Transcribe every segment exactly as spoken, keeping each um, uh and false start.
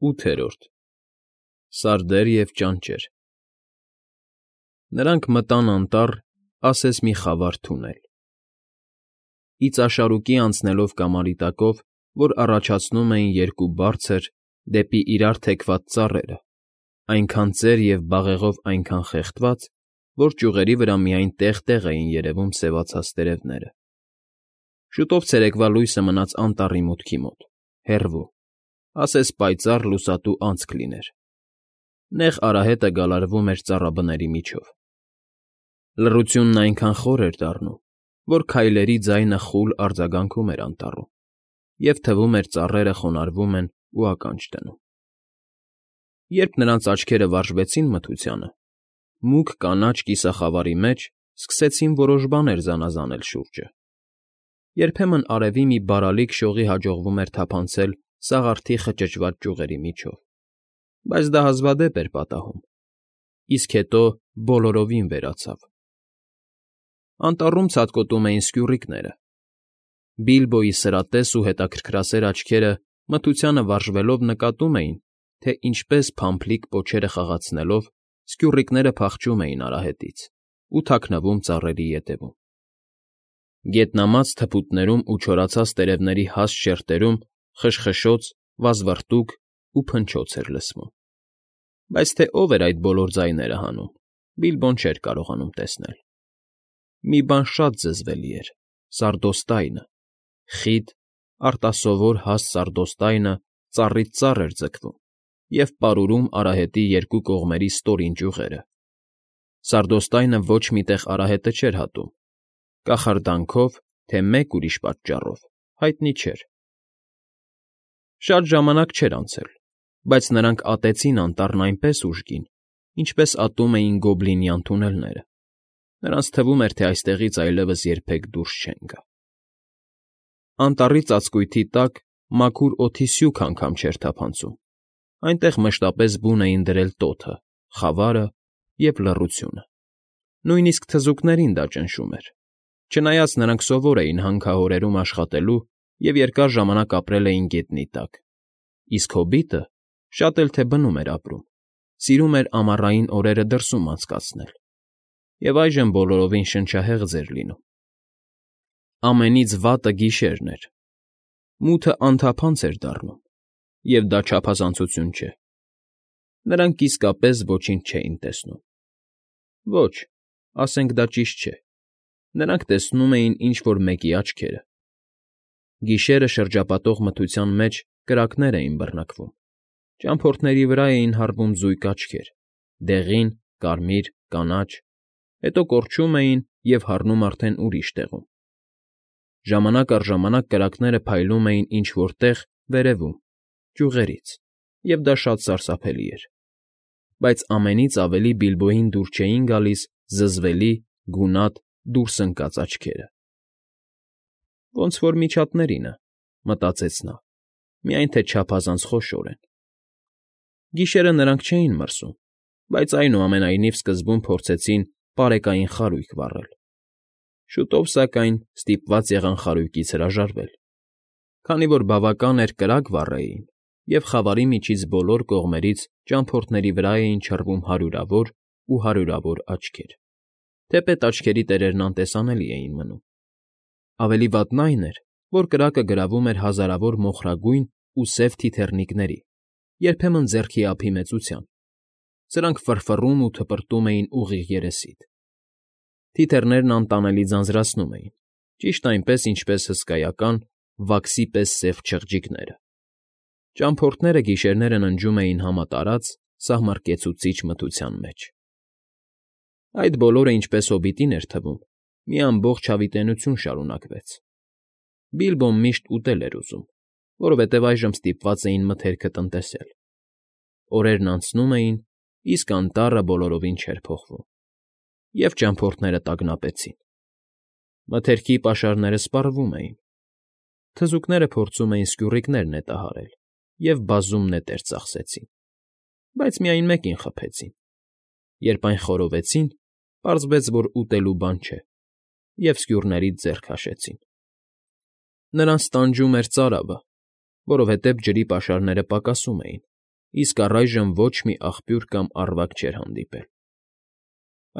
ՈՒԹԵՐՈՐԴ ՍԱՐԴԵՐ ԵՎ ՃԱՆՃԵՐ Նրանք մտան անտառ, ասես մի խավար թունել, իծաշարուկի անցնելով կամարի տակով, որ առաջացնում էին երկու բարձր, դեպի իրար թեքված ծառերը, այնքան ծեր և բաղեղով այնքան խեղդված, որ ճյուղերի վրա միայն տեղ֊տեղ էին երևում սևացած տերևները. շուտով ցերեկվա լույսը մնաց անտառի մուտքի մոտ, հեռվում, ասես պայծառ լուսատու անցք լիներ. նեղ արահետը գալարվում էր ծառաբների միջով. լռությունն այնքան խոր էր դառնում, որ քայլերի ձայնը խուլ արձագանքում էր անտառում, և թվում էր ծառերը խոնարհվում են ու ականջ դնում. Երբ նրանց աչքերը վարժվեցին մթությանը, մուգ կանաչ կիսախավարի մեջ սկսեցին որոշ բաներ զանազանել շուրջը. երբեմն արևի մի բարալիկ շողի հաջողվում էր թափանցել սաղարթի խճճված ճյուղերի միջով, բայց դա հազվադեպ էր պատահում, իսկ հետո բոլորովին վերացավ. Անտառում ցատկոտում էին սկյուռիկները. Բիլբոյի սրատես ու հետաքրքրասեր աչքերը մթությանը վարժվելով նկատում էին, թե ինչպես փամփլիկ պոչերը խաղացնելով սկյուռիկները փախչում էին արահետից ու թաքնվում ծառերի ետևում. գետնամած թփուտներում ու չորացած տերևների հաստ շերտերում խշխշոց, վազվռտուք ու փնչոց էր լսվում, բայց թե ով էր այդ բոլոր ձայները հանում, Բիլբոն չէր կարողանում տեսնել. մի բան շատ զզվելի էր՝ սարդոստայնը, խիտ, արտասովոր հաստ սարդոստայնը ծառից ծառ էր ձգվում և պարուրում արահետի երկու կողմերի ստորին ճյուղերը. սարդոստայնը ոչ մի տեղ արահետը չէր հատում, կախարդանքով, թե մեկ ուրիշ պատճառով, հայտնի չէր. Շատ ժամանակ չէր անցել, բայց նրանք ատեցին անտառն այնպես ուժգին, ինչպես ատում էին գոբլինյան թունելները. նրանց թվում էր, թե այստեղից այլևս երբեք դուրս չեն գա։ Անտառի ծածկույթի տակ մաքուր օդի սյուք անգամ չէր թափանցում, այնտեղ մշտապես բուն էին դրել տոթը, խավարը և լռությունը. նույնիսկ թզուկներին դա ճնշում էր, չնայած նրանք սովոր էին հանքահորերում աշխատելու և երկար ժամանակ ապրել էին գետնի տակ, իսկ հոբիտը, շատ էլ թե բնում էր ապրում, սիրում էր ամառային օրերը դրսում անցկացնել, և այժմ բոլորովին շնչահեղձ էր լինում. ամենից վատը գիշերն էր, մութը անթափանց էր դառնում, և դա չափազանցություն չէ. նրանք իսկապես ոչինչ չէին տեսնում. ոչ, ասենք դա ճիշտ չէ, նրանք տեսնում էին ինչ֊որ մեկի աչքերը. գիշերը շրջապատող մթության մեջ կրակներ էին բռնկվում, ճամփորդների վրա էին հառվում զույգ աչքեր՝ դեղին, կարմիր, կանաչ, հետո կորչում էին և հառնում արդեն ուրիշ տեղում. ժամանակ առ ժամանակ կրակները փայլում էին ինչ֊որ տեղ վերևում, ճյուղերից, և դա շատ սարսափելի էր, բայց ամենից ավելի Բիլբոյին դուր չէին գալիս զզվելի, գունատ, դուրս ընկած աչքերը։ «Ոնց որ միջատներինը», մտածեց նա, միայն թե չափազանց խոշոր են։ Գիշերը նրանք չէին մրսում, բայց այնուամենայնիվ սկզբում փորձեցին պարեկային խարույկ վառել. շուտով, սակայն, ստիպված եղան խարույկից հրաժարվել, քանի որ բավական էր կրակ վառեին, և խավարի միջից բոլոր կողմերից ճամփորդների վրա էին չռվում հարյուրավոր ու հարյուրավոր աչքեր, թեպետ աչքերի տերերն անտեսանելի էին մնում. ավելի վատն այն էր, որ կրակը գրավում էր հազարավոր մոխրագույն ու սև թիթեռնիկների, երբեմն ձեռքի ափի մեծության. սրանք ֆռֆռում ու թպրտում էին ուղիղ երեսիդ. թիթեռներն անտանելի ձանձրացնում էին, ճիշտ այնպես, ինչպես հսկայական, վաքսի պես սև չղջիկները. ճամփորդները գիշերները ննջում էին համատարած, սահմռկեցուցիչ մթության մեջ. Այդ բոլորը, ինչպես հոբիտին էր թվում, մի ամբողջ հավիտենականություն շարունակվեց. Բիլբոն միշտ ուտել էր ուզում, որովհետև այժմ ստիպված էին մթերքը տնտեսել. օրերն անցնում էին, իսկ անտառը բոլորովին չէր փոխվում, և ճամփորդները տագնապեցին. մթերքի պաշարները սպառվում էին, թզուկները փորձում էին սկյուռիկներ նետահարել և բազում նետեր ծախսեցին, բայց միայն մեկին խփեցին. երբ այն խորովեցին, պարզվեց, որ ուտելու բան չէ, և սկյուռներից ձեռ քաշեցին. նրանց տանջում էր ծարավը, որովհետև ջրի պաշարները պակասում էին, իսկ առայժմ ոչ մի աղբյուր կամ առվակ չէր հանդիպել։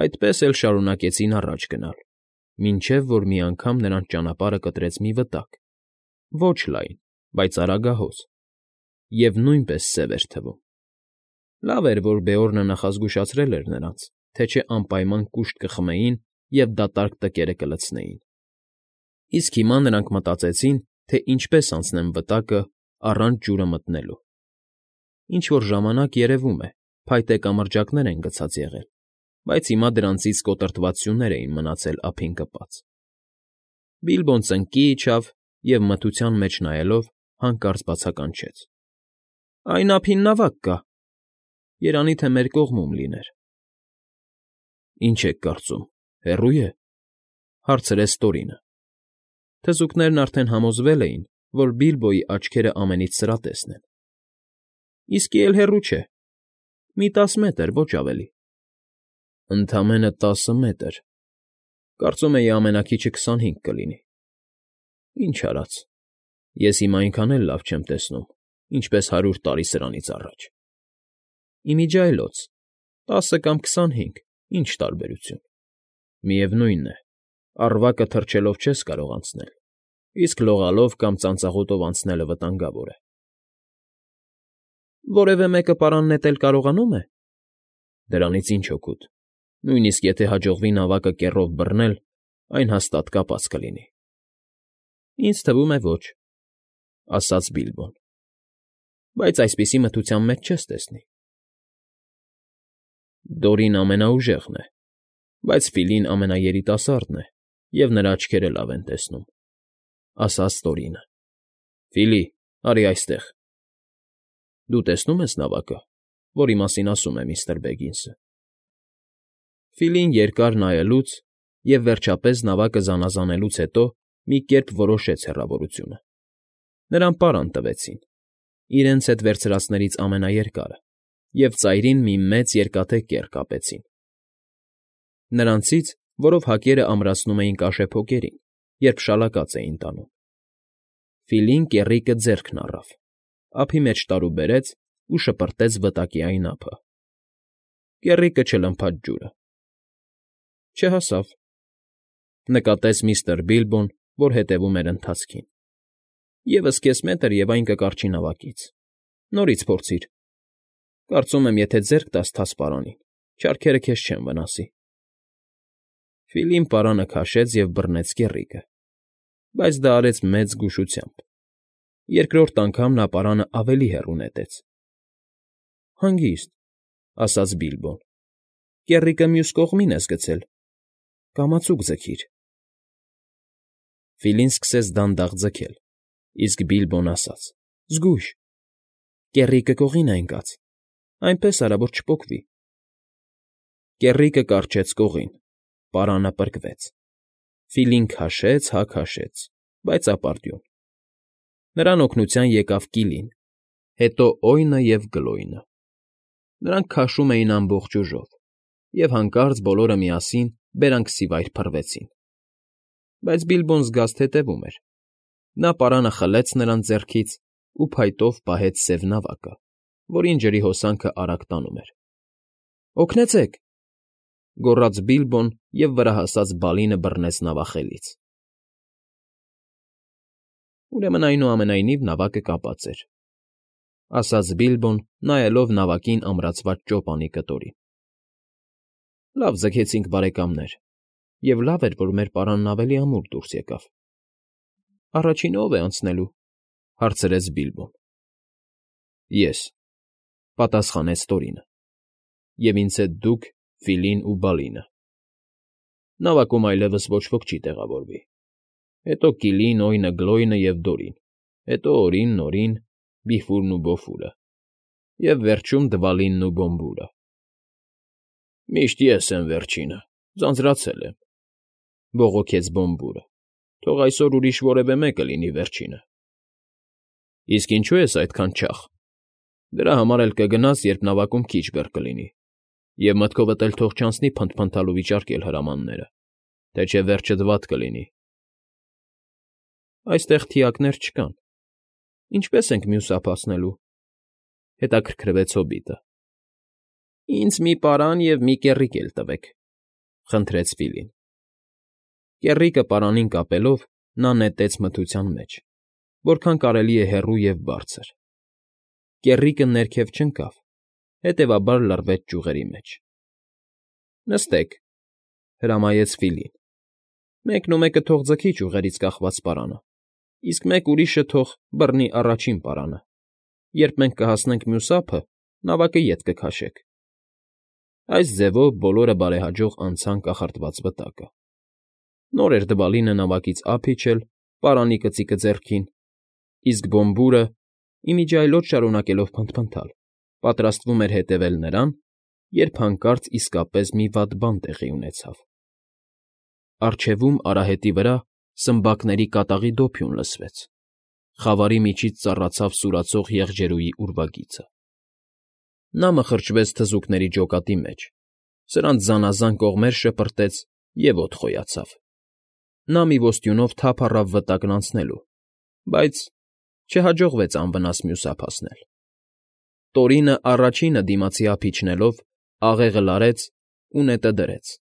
Այդպես էլ շարունակեցին առաջ գնալ, մինչև որ մի անգամ նրանց ճանապարհը կտրեց մի վտակ, ոչ լայն, բայց արագահոս, և նույնպես սև էր թվում։ Լավ էր, որ Բեորնը նախազգուշացրել էր նրանց, թե չէ անպայման կուշտ կխմեին և դատարկ տկերը կլցնեին։ Իսկ հիմա նրանք մտածեցին, թե ինչպես անցնեն վտակը առանց ջուրը մտնելու։ Ինչ֊որ ժամանակ, երևում է, փայտե կամրջակներ են գցած եղել, բայց հիմա դրանցից կոտրտված սյուներ էին մնացել ափին կպած։ Բիլբոն ծնկի իջավ և, մթության մեջ նայելով, հանկարծ բացականչեց. ֊ Այն ափին նավակ կա… Երանի թե մեր կողմում լիներ։ ֊ Ինչ եք կարծում, հեռո՞ւ է,֊ հարցրեց Տորինը։ Թզուկներն արդեն համոզվել էին, որ Բիլբոյի աչքերը ամենից սրատեսն են։ ֊ Իսկի էլ հեռու չէ… Մի տասը մետր, ոչ ավելի։ ֊ Ընդամենը տասը մետր… Կարծում էի ամենաքիչը քսանհինգ կլինի… Ինչ արած, ես հիմա այնքան էլ լավ չեմ տեսնում, ինչպես հարյուր տարի սրանից առաջ… Ի միջի այլոց, տասը կամ քսանհինգ, ինչ տարբերություն… Միևնույն է, առվակը թռչելով չես կարող անցնել, իսկ լողալով կամ ծանծաղուտով անցնելը վտանգավոր է։ ֊ Որևէ մեկը պարան նետել կարողանո՞ւմ է։ ֊ Դրանից ինչ օգուտ… Նույնիսկ եթե հաջողվի նավակը կեռով բռնել, այն հաստատ կապած կլինի։ ֊ Ինձ թվում է, ոչ,֊ ասաց Բիլբոն,֊ բայց այսպիսի մթության մեջ չես տեսնի։ ֊ Դորին ամենաուժեղն է, բայց Ֆիլին ամենաերիտասարդն է, և նրա աչքերը լավ են տեսնում,֊ ասաց Տորինը։ ֊ Ֆիլի, արի այստեղ… Դու տեսնո՞ւմ ես նավակը, որի մասին ասում է միստր Բեգինսը… Ֆիլին երկար նայելուց և, վերջապես, նավակը զանազանելուց հետո մի կերպ որոշեց հեռավորությունը. նրան պարան տվեցին, իրենց հետ վերցրածներից ամենաերկարը, և ծայրին մի մեծ երկաթե կեռ կապեցին. նրանցից, որով հակերը ամրացնում էին կաշեփոկերին, երբ շալակած էին տանում։ Ֆիլին կեռիկը ձեռքն առավ, ափի մեջ տարուբերեց ու շպրտեց վտակի այն ափը։ Կեռիկը չլմփաց ջուրը։ ֊ Չհասավ,֊ նկատեց միստր Բիլբոն, որ հետևում էր ընթացքին։֊ Եվս կես մետր, և այն կկառչի նավակից… Նորից փորձիր… Կարծում եմ, եթե ձեռք տաս թաց պարանին, չարքերը քեզ չեն վնասի… Ֆիլին պարանը քաշեց և բռնեց կեռիկը, բայց դա արեց մեծ զգուշությամբ։ Երկրորդ անգամ նա պարանը ավելի հեռու նետեց։ ֊ Հանգիստ,֊ ասաց Բիլբոն,֊ կեռիկը մյուս կողմին ես գցել… Կամացուկ ձգիր… Ֆիլին սկսեց դանդաղ ձգել, իսկ Բիլբոն ասաց. ֊ Զգույշ… Կեռիկը կողին է ընկած… Այնպես արա, որ չպոկվի… Կեռիկը կառչեց կողին, պարանը պրկվեց։ Ֆիլին քաշեց հա քաշեց, բայց ապարդյուն… Նրան օգնության եկավ Կիլին, հետո Օյնը և Գլոյնը։ Նրանք քաշում էին ամբողջ ուժով, և հանկարծ բոլորը միասին բերանքսիվայր փռվեցին։ Բայց Բիլբոն զգաստ հետևում էր։ Նա պարանը խլեց նրանց ձեռքից ու փայտով պահեց սև նավակը, որին ջրի հոսանքը արագ տանում էր։ ֊ Օգնեցե՛ք,֊ գոռաց Բիլբոն և վրա հասած Բալինը բռնեց նավախելից։ Ուրեմն, այնուամենայնիվ, նավակը կապած էր,֊ ասաց Բիլբոն, նայելով նավակին ամրացված ճոպանի կտորին։ ֊ Լավ ձգեցինք, բարեկամներ, և լավ էր, որ մեր պարանն ավելի ամուր դուրս եկավ։ ֊ Առաջինը ո՞վ է անցնելու,֊ հարցրեց Բիլբոն։ ֊ Ես,֊ պատասխանեց Տորինը,֊ և ինձ հետ դուք, Ֆիլին ու Բալինը։ Նավակում այլևս ոչ ոք չի տեղավորվի։ Հետո Կիլին, Օյնը, Գլոյնը և Դորին, հետո Օրին, Նորին, Բիֆուրն ու Բոֆուրը, և վերջում Դվալինն ու Բոմբուրը։ ֊ Միշտ ես եմ վերջինը, ձանձրացել եմ,֊ բողոքեց Բոմբուրը։֊ Թող այսօր ուրիշ որևէ մեկը լինի վերջինը։ ֊ Իսկ ինչո՞ւ ես այդքան չաղ։ Դրա համար էլ կգնաս, երբ նավակում քիչ բեռ կլինի, և մտքովդ էլ թող չանցնի փնթփնթալ ու վիճարկել հրամանները, թե չէ վերջդ վատ կլինի։ ֊ Այստեղ թիակներ չկան… Ինչպե՞ս ենք մյուս ափ հասնելու։ ֊ հետաքրքրվեց հոբիտը։ ֊ Ինձ մի պարան և մի կեռիկ էլ տվեք,֊ խնդրեց Ֆիլին։ Կեռիկը պարանին կապելով՝ նա նետեց մթության մեջ, որքան կարելի է հեռու և բարձր։ Կեռիկը ներքև չընկավ, հետևաբար լռվեց ճյուղերի մեջ։ ֊ Նստեք,֊ հրամայեց Ֆիլին։ Մեկնումեկը թող ձգի ճյուղերից կախված պարանը, իսկ մեկ ուրիշը թող բռնի առաջին պարանը։ Երբ մենք կհասնենք մյուս ափը, նավակը ետ կքաշեք։ Այս ձևով բոլորը բարեհաջող անցան կախարդված վտակը։ Նոր էր Դվալինը նավակից ափ իջել, պարանի կծիկը ձեռքին, իսկ Բոմբուրը, ի միջի այլոց շարունակելով փնթփնթալ, պատրաստվում էր հետևել նրան, երբ հանկարծ իսկապես մի վատ բան տեղի ունեցավ։ Առջևում արահետի վրա սմբակների կատաղի դոփյուն լսվեց։ Խավարի միջից ծառացավ սուրացող եղջերուի ուրվագիծը։ Նա մխրճվեց թզուկների ջոկատի մեջ, սրանց զանազան կողմեր շպրտեց և օդ խոյացավ։ Նա մի ոստյունով թափ առավ վտակն անցնելու, բայց չհաջողվեց անվնաս մյուս ափ հասնել։ Տորինը առաջինը դիմացի ափ իջնելով աղեղը լարեց ու նետը դրեց,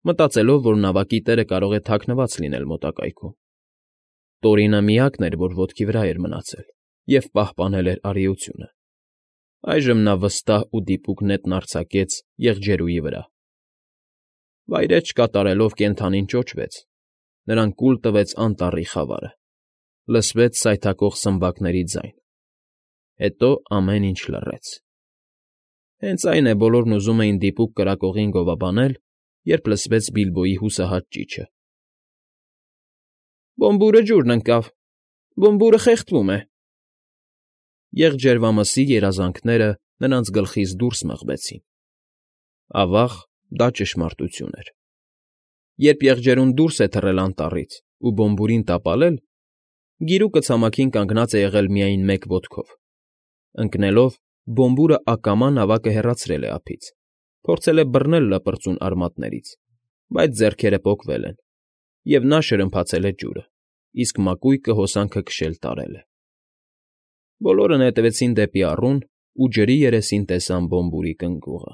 մտածելով, որ նավակի տերը կարող է թաքնված լինել մոտակայքում։ Տորինը միակն էր, որ ոտքի վրա էր մնացել և պահպանել էր արիությունը։ Այժմ նա վստահ ու դիպուկ նետն արձակեց եղջերուի վրա։ Վայրէջք կատարելով կենդանին ճոճվեց, նրան կուլ տվեց անտառի խավարը։ Լսվեց սայթաքող սմբակների ձայն։ Հետո ամեն ինչ լռեց։ Հենց այն է, բոլորն ուզում էին դիպուկ կրակողին գովաբանել, երբ լսվեց Բիլբոյի հուսահատ ճիչը. Բոմբուրը ջուրն ընկավ, Բոմբուրը խեղդվում է… Եղջերվամսի երազանքները նրանց գլխից դուրս մղվեցին։ Ավա՜ղ, դա ճշմարտություն էր։ Երբ եղջերուն դուրս է թռել անտառից ու Բոմբուրին տապալել, գիրուկը ցամաքին կանգնած է եղել միայն մեկ ոտքով։ Ընկնելով՝ Բոմբուրը ակամա նավակը հեռացրել է ափից, փորձել է բռնել լպրծուն արմատներից, բայց ձեռքերը պոկվել են, և նա շրմփացել է ջուրը, իսկ մակույկը հոսանքը քշել տարել է։ Բոլորը նետվեցին դեպի առուն ու ջրի երեսին տեսան Բոմբուրի կնգուղը։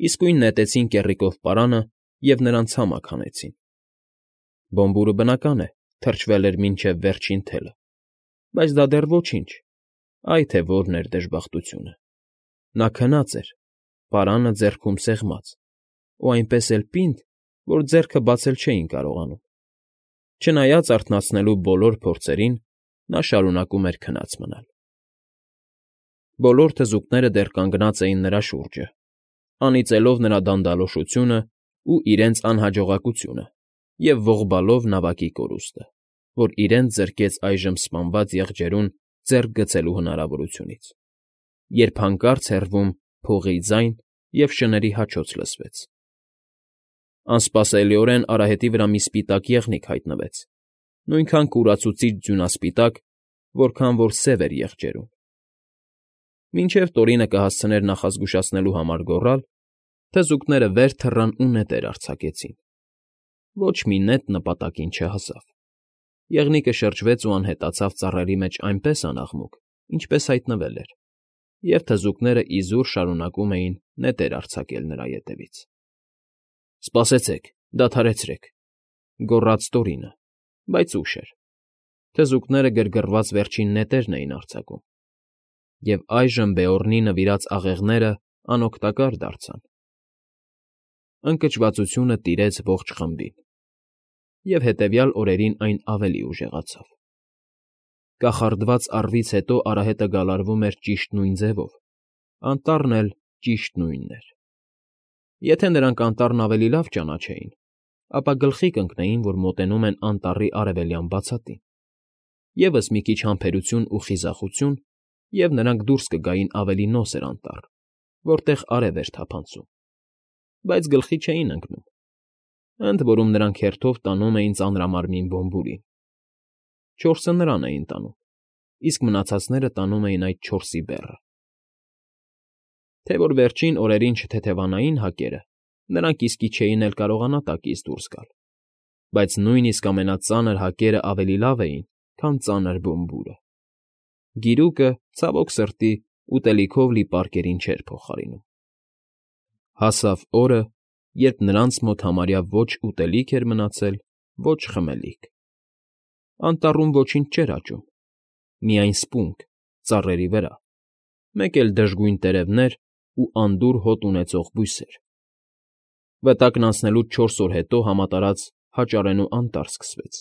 Իսկույն նետեցին կեռիկով պարանը և նրան ցամաք հանեցին։ Բոմբուրը, բնական է, թրջվել էր մինչև վերջին թելը, բայց դա դեռ ոչինչ, այ թե որն էր դժբախտությունը։ Նա քնած էր, պարանը ձեռքում սեղմած, ու այնպես էլ պինդ, որ ձեռքը բացել չէին կարողանում։ Չնայած արթնացնելու բոլոր փորձերին, նա շարունակում էր քնած մնալ։ Բոլոր թզուկները դեռ կանգնած էին նրա շուրջը, անիծելով նրա դանդալոշությունն ու իրենց անհաջողակությունը և ողբալով նավակի կորուստը, որ իրենց զրկեց այժմ սպանված եղջերուն ձեռք գցելու հնարավորությունից, երբ հանկարծ հեռվում փողի ձայն և շների հաչոց լսվեց։ Անսպասելիորեն արահետի վրա մի սպիտակ եղնիկ հայտնվեց, նույնքան կուրացուցիչ ձյունասպիտակ, որքան որ սև էր եղջերուն։ Մինչև Տորինը կհասցներ նախազգուշացնելու համար գոռալ, թզուկները վեր թռան ու նետեր արձակեցին։ Ոչ մի նետ նպատակին չհասավ։ Եղնիկը շրջվեց ու անհետացավ ծառերի մեջ այնպես անաղմուկ, ինչպես հայտնվել էր, և թզուկները իզուր շարունակում էին նետեր արձակել նրա ետևից։ ֊ Սպասեցեք, դադարեցեք,֊ գոռաց Տորինը, բայց ուշ էր։ Թզուկները գրգռված վերջին նետերն էին արձակում, և այժմ Բեորնի նվիրած աղեղներն անօգտակար դարձան։ Ընկճվածությունը տիրեց ողջ խմբին, և հետևյալ օրերին այն ավելի ուժեղացավ։ Կախարդված առվից հետո արահետը գալարվում էր ճիշտ նույն ձևով, անտառն էլ ճիշտ նույնն էր։ Եթե նրանք անտառն ավելի լավ ճանաչեին, ապա գլխի կընկնեին, որ մոտենում են անտառի արևելյան բացատին։ Եվս մի քիչ համբերություն ու խիզախություն, և նրանք դուրս կգային ավելի նոսր անտառ, որտեղ արև էր թափանցում, բայց գլխի չէին ընկնում։ Ընդ որում նրանք հերթով տանում էին ծանրամարմին Բոմբուրին։ Չորսը նրան էին տանում, իսկ մնացածները տանում էին այդ չորսի բեռը։ Թե որ վերջին օրերին չթեթևանային հակերը, նրանք իսկի չէին էլ կարողանա տակից դուրս գալ, բայց նույնիսկ ամենածանր հակերն ավելի լավ էին, քան ծանր Բոմբուրը։ Գիրուկը, ցավոք սրտի, ուտելիքով լի պարկերին չէր փոխարինում։ Հասավ օրը, երբ նրանց մոտ համարյա ոչ ուտելիք էր մնացել, ոչ խմելիք։ Անտառում ոչինչ չէր աճում, միայն սպունգ, ծառերի վրա, մեկ էլ դժգույն տերևներ ու անդուր հոտ ունեցող բույսեր։ Վտակն անցնելուց չորս օր հետո համատարած հաճարենու անտառ սկսվեց։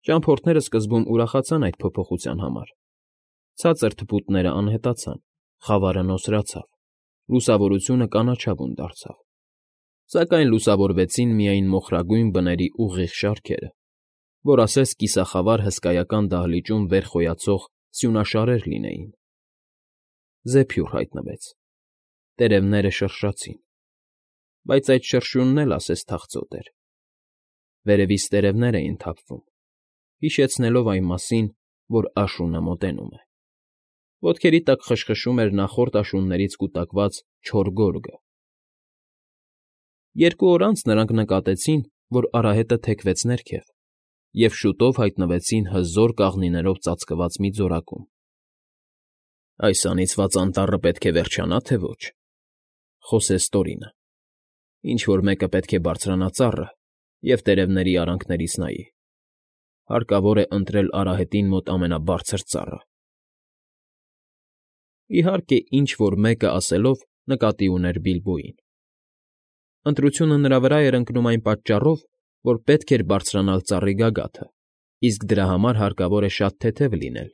Ճամփորդները սկզբում ուրախացան այդ փոփոխության համար։ Ցածր թփուտները անհետացան, խավարը նոսրացավ, լուսավորությունը կանաչավուն դարձավ։ Սակայն լուսավորվեցին միայն մոխրագույն բների ուղիղ շարքերը, որ ասես կիսախավար հսկայական դահլիճում վեր խոյացող սյունաշարեր լինեին։ Զեփյուռ հայտնվեց։ Տերևները շրշացին, բայց այդ շրշյունն էլ ասես թախծոտ էր։ Վերևից տերևներ էին թափվում, հիշեցնելով այն մասին, որ աշունը մոտենում է։ Ոտքերի տակ խշխշում էր նախորդ աշուններից կուտակված չոր գորգը։ Երկու օր անց նրանք նկատեցին, որ արահետը թեքվեց ներքև, և շուտով հայտնվեցին հզոր կաղնիներով ծածկված մի ձորակում։ «Այս անիծված անտառը պետք է վերջանա, թե ոչ,֊ խոսեց Տորինը։֊ Ինչ֊որ մեկը պետք է բարձրանա ծառը և տերևների արանքներից նայի։ Հարկավոր է ընտրել արահետին մոտ ամենաբարձր ծառը»։ Իհարկե, ինչ֊որ մեկը ասելով նկատի ուներ Բիլբոյին։ Ընտրությունը նրա վրա էր ընկնում այն պատճառով, որ պետք էր բարձրանալ ծառի գագաթը, իսկ դրա համար հարկավոր է շատ թեթև լինել,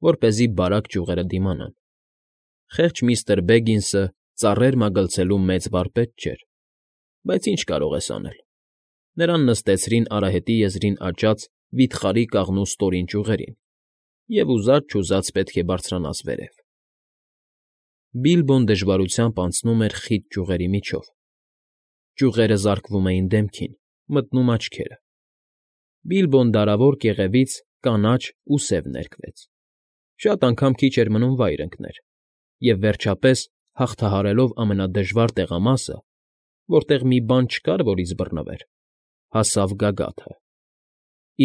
որպեսզի բարակ ճյուղերը դիմանան։ Խեղճ միստր Բեգինսը ծառեր մագլցելու մեծ վարպետ չէր, բայց ինչ կարող ես անել։ Նրան նստեցրին արահետի եզրին աճած վիթխարի կաղնու ստորին ճյուղերին, և ուզած֊չուզած պետք է բարձրանաս վերև։ Բիլբոն դժվարությամբ անցնում էր խիտ ճյուղերի միջով։ Ճյուղերը զարկվում էին դեմքին, մտնում աչքերը։ Բիլբոն դարավոր կեղևից կանաչ ու սև ներկվեց։ Շատ անգամ քիչ էր մնում վայր ընկներ, և վերջապես, հաղթահարելով ամենադժվար տեղամասը, որտեղ մի բան չկար, որից բռնվեր, հասավ գագաթը։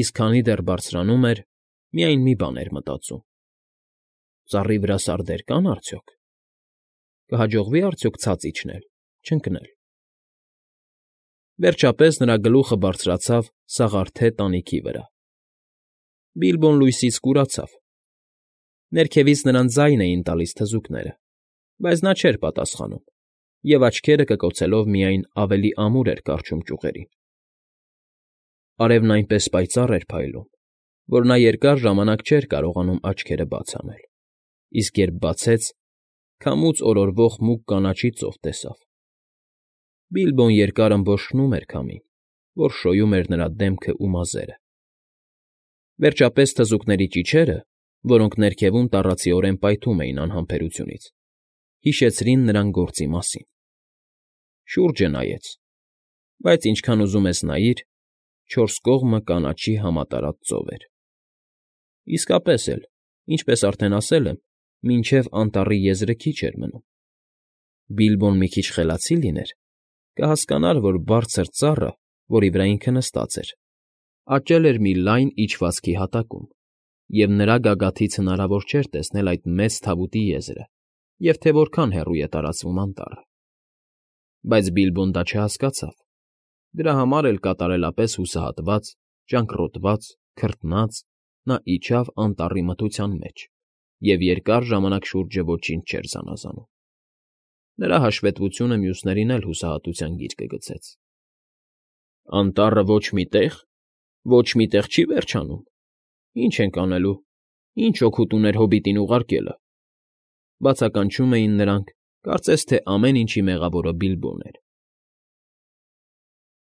Իսկ քանի դեռ բարձրանում էր, միայն մի բան էր մտածում. ծառի վրա սարդեր կա՞ն արդյոք։ Կհաջողվի՞ արդյոք ցած իջնել, չընկնել։ Վերջապես նրա գլուխը բարձրացավ սաղարթե տանիքի վրա։ Բիլբոն լույսից կուրացավ։ Ներքևից նրան ձայն էին տալիս թզուկները, բայց նա չէր պատասխանում, և աչքերը կկոցելով միայն ավելի ամուր էր կառչում ճյուղերին։ Արևն այնպես պայծառ էր փայլում, որ նա երկար ժամանակ չէր կարողանում աչքերը բաց անել, իսկ երբ բացեց, քամուց օրորվող մուգ կանաչի ծով տեսավ։ Բիլբոն երկար ըմբոշխնում էր քամին, որ շոյում էր նրա դեմքն ու մազերը։ Վերջապես թզուկների ճիչերը, որոնք ներքևում տառացիորեն պայթում էին անհամբերությունից, հիշեցրին նրան գործի մասին։ Շուրջը նայեց, բայց ինչքան ուզում ես նայիր, չորս կողմը կանաչի համատարած ծով էր։ Իսկապես էլ, ինչպես արդեն ասել եմ, մինչև անտառի եզրը քիչ էր մնում։ Բիլբոն մի քիչ խելացի լիներ, կհասկանար, որ բարձր ծառը, որի վրա ինքը նստած էր, աճել էր մի լայն իջվածքի հատակում, և նրա գագաթից հնարավոր չէր տեսնել այդ մեծ թավուտի եզրը և թե որքան հեռու է տարածվում անտառը։ Բայց Բիլբոն դա չհասկացավ։ Դրա համար էլ կատարելապես հուսահատված, ճանկռոտված, քրտնած՝ նա իջավ անտառի մթության մեջ և երկար ժամանակ շուրջը ոչինչ չէր զանազանում։ Նրա հաշվետվությունը մյուսներին էլ հուսահատության գիրկը գցեց։ Անտառը ոչ մի տեղ, ոչ մի տեղ չի վերջանում։ Ի՞նչ ենք անելու, ի՞նչ օգուտ ուներ հոբիտին ուղարկելը,֊ բացականչում էին նրանք, կարծես թե ամեն ինչի մեղավորը Բիլբոն էր։